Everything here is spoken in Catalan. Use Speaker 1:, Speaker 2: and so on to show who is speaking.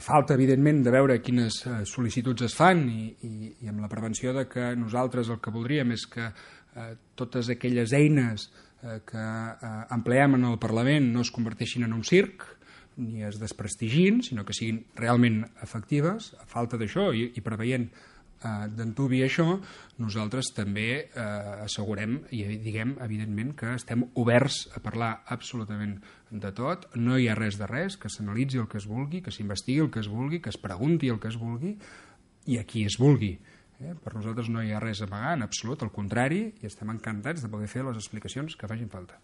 Speaker 1: a falta, evidentment, de veure quines sol·licituds es fan i amb la prevenció de que nosaltres el que voldríem és que totes aquelles eines que empleem en el Parlament no es converteixin en un circ ni es desprestigin, sinó que siguin realment efectives. A falta d'això i preveient d'antuvi això, nosaltres també assegurem i diguem, evidentment, que estem oberts a parlar absolutament de tot. No hi ha res de res, que s'analitzi el que es vulgui, que s'investigui el que es vulgui, que es pregunti el que es vulgui i a qui es vulgui. Per nosaltres no hi ha res a amagar, en absolut, al contrari, i estem encantats de poder fer les explicacions que facin falta.